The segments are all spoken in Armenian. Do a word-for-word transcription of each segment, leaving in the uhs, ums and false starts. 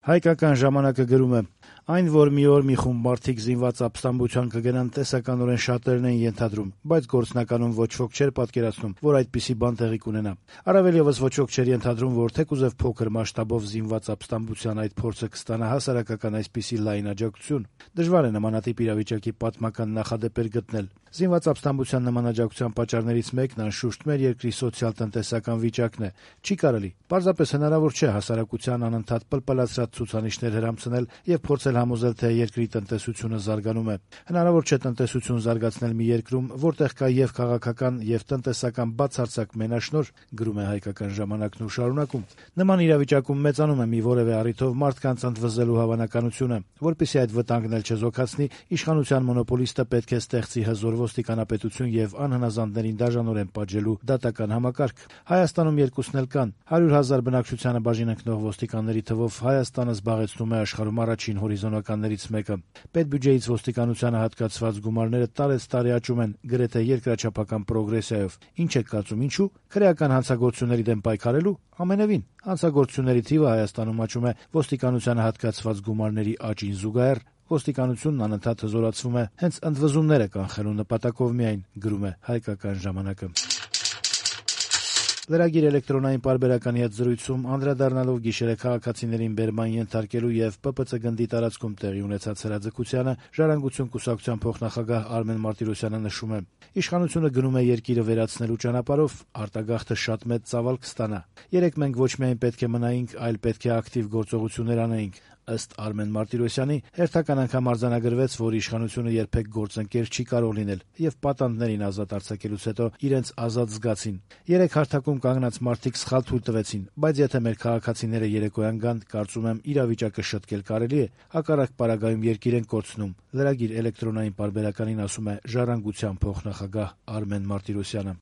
Հայկական ժամանակը գրում է. այն, որ մի օր մի խումբ մարդիկ զինված ապստամբության կգնան, տեսականորեն շատերն են ենթադրում, բայց գործնականում ոչ ոք չէր պատկերացնում, որ այդպիսի բան տեղի կունենա։ Առավել ևս ոչ ոք չէր ենթադրում, որ թեկուզև փոքր մասշտաբով զինված ապստամբության այդ փորձը կստանա հասարակական այսպիսի լայն աջակցություն։ Դժվար է նմանատիպ իրավիճակի պատմական նախադեպեր գտնել։ Զինված ապստամբության նման աջակցության պատճառներից մեկն անշուշտ մեր երկրի սոցիալ-տնտեսական վիճակն է։ Չի կարելի, պարզապես հնարավոր չէ հասարակության անընդհատ պլպլացրած ցուցանիշներ հրամցնել եւ փորձել համոզել, թե երկրի տնտեսությունը զարգանում է։ Հնարավոր չէ տնտեսություն զարգացնել մի երկրում, որտեղ կա եւ քաղաքական, եւ տնտեսական բացարձակ մենաշնորհ, գրում է Հայկական ժամանակն ու շարունակում։ Նման իրավիճակում մեծանում է մի որևէ առիթով մարդկանց ընդվզելու հավանականությունը, որպեսզի այդ վտանգն էլ չզոքացնի, իշխանության մոնոպոլիստը պետք է ստեղծի հզոր ոստիկանապետություն եւ անհնազանդներին դաժանորեն պատժելու դատական համակարգ։ Հայաստանում երկուսն էլ կան։ հարյուր հազար բնակչությանը բաժին ընկնող ոստիկանների թվով Հայաստանը զբաղեցնում է աշխարհում առաջին հորիզոնականներից մեկը։ Պետբյուջեից ոստիկանությանը հատկացված գումարները տարեցտարի աճում են, գրեթե երկրաչափական պրոգրեսիայով։ Ինչ եք կարծում, ինչու՞։ Քրեական հանցագործությունների դեմ պայքարելու։ Ամենևին, հանցագործությունների թիվը Հայաստանում աճում է ոստիկանությանը հատկացված գումարների աճին զուգահեռ։ Ոստիկանությունն անընդհատ հզորացվում է հենց ընդվզումները կանխելու նպատակով միայն, գրում է Հայկական ժամանակը։ Լրագիր էլեկտրոնային պարբերականի հետ զրույցում անդրադառնալով գիշերը քաղաքացիներին բերման ենթարկելու եւ Պ Պ Ց գնդի տարածքում տեղի ունեցած հրաձգությանը, Ժառանգություն կուսակցության փոխնախագահ Արմեն Մարտիրոսյանը նշում է. իշխանությունը գնում է երկիրը վերացնելու ճանապարհով, արտագաղթը շատ մեծ ծավալ կստանա։ Երեք մենք ոչ միայն պետք է մնայինք, այլ պետք է ակտիվ գործողություններ անեինք։ Ըստ Արմեն Մարտիրոսյանի, հերթական անգամ արձանագրվեց, որ իշխանությունը երբեք գործընկեր չի կարող լինել եւ պատանդներին ազատ արձակելուց հետո իրենց ազատ զգացին։ Երեք հարթակում կանգնած մարդիկ սխալ թույլ տվեցին, բայց եթե մեր քաղաքացիները երեկոյան գան, կարծում եմ իրավիճակը շտկել կարելի է, հակառակ պարագայում երկիր են կորցնում։ Լրագիր էլեկտրոնային պարբերականին ասում է Ժառանգության փոխնախագահ Արմեն Մարտիրոսյանը։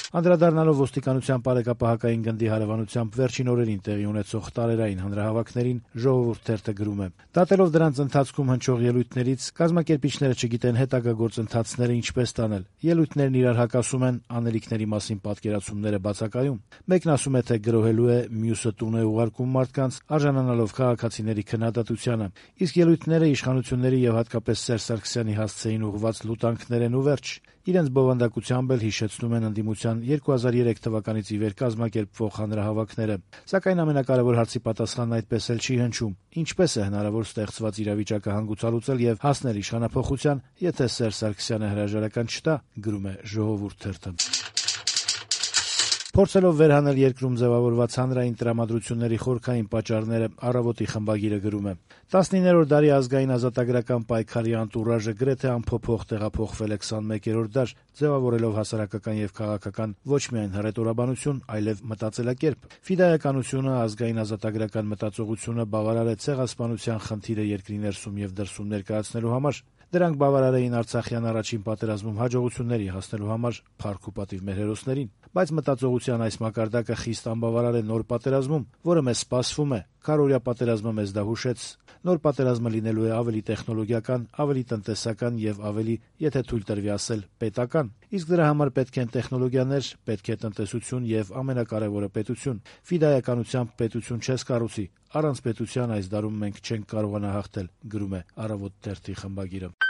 Անդրադառնալով ոստիկանության բարեկապահական գնդի հարևանությամբ վերջին օրերին տեղի ունեցող տարերային հանրահավաքներին, Ժողովուրդ թերթը գրում է. դատելով դրանց ընթացքում հնչող ելույթներից, կազմակերպիչները չգիտեն հետագա գործընթացները ինչպես տանել։ Ելույթներն իրար հակասում են, անելիքների մասին պատկերացումները բացակայում։ Մեկն ասում է, թե գրոհելու է, մյուսը տուն է ուղարկում մարդկանց, արժանանալով քաղաքացիների քննադատությանը։ Իսկ ելույթները իշխանությունների եւ հատկապես Սերժ Սարգսյանի հասցեին ուղղված լուտանքներ են ու վերջ։ Իրենց բովանդակությամբ էլ հիշեցնում են ընդդիմության երկու հազար երեք թվականից ի վեր կազմակերպվող հանրահավաքները։ Սակայն ամենակարևոր հարցի պատասխանն այդպես էլ չի հնչում. ինչպես է հնարավոր ստեղծված իրավիճակը հանգուցալուծել եւ հասնել իշխանափոխության, եթե Սերժ Սարգսյանը հրաժարական չտա, գրում է Ժողովուրդ թերթը։ Փորձելով վերհանել երկրում ձևավորված հանրային տրամադրությունների խորքային պատճառները, Առավոտի խմբագիրը գրում է. տասնիններորդ դարի ազգային ազատագրական պայքարի անտուրաժը գրեթե անփոփոխ տեղափոխվել է քսանմեկերորդ դար, ձևավորելով հասարակական եւ քաղաքական ոչ միայն հռետորաբանություն, այլև մտածելակերպ։ Ֆիդայականությունը, ազգային ազատագրական մտածողությունը բավարար է ցեղասպանության խնդիրը երկրի ներսում եւ դրսում ներկայացնելու համար։ Դրանք բավարար էին Արցախյան առաջին պատերազմում հաջողությունների հասնելու համար փառք ու պատիվ մեր հերոսներին, բայց մտածողության այս մակարդակը խիստ անբավարար է նոր պատերազմում, որը մեզ սպասվում է։ Քարորյա պատերազմը մեզ դա հուշեց։ Նոր պատերազմը լինելու է ավելի տեխնոլոգիական, ավելի տնտեսական եւ ավելի, եթե թույլ տրվի ասել, պետական։ Իսկ դրա համար պետք են տեխնոլոգիաներ, պետք է տնտեսություն եւ ամենակարևորը պետություն։ Ֆիդայականությամբ պետություն չես կառուցի։ Առանց պետության այս դարում մենք չենք կարողանա հաղթել, գրում է Առավոտ թերթի խմբագիրը։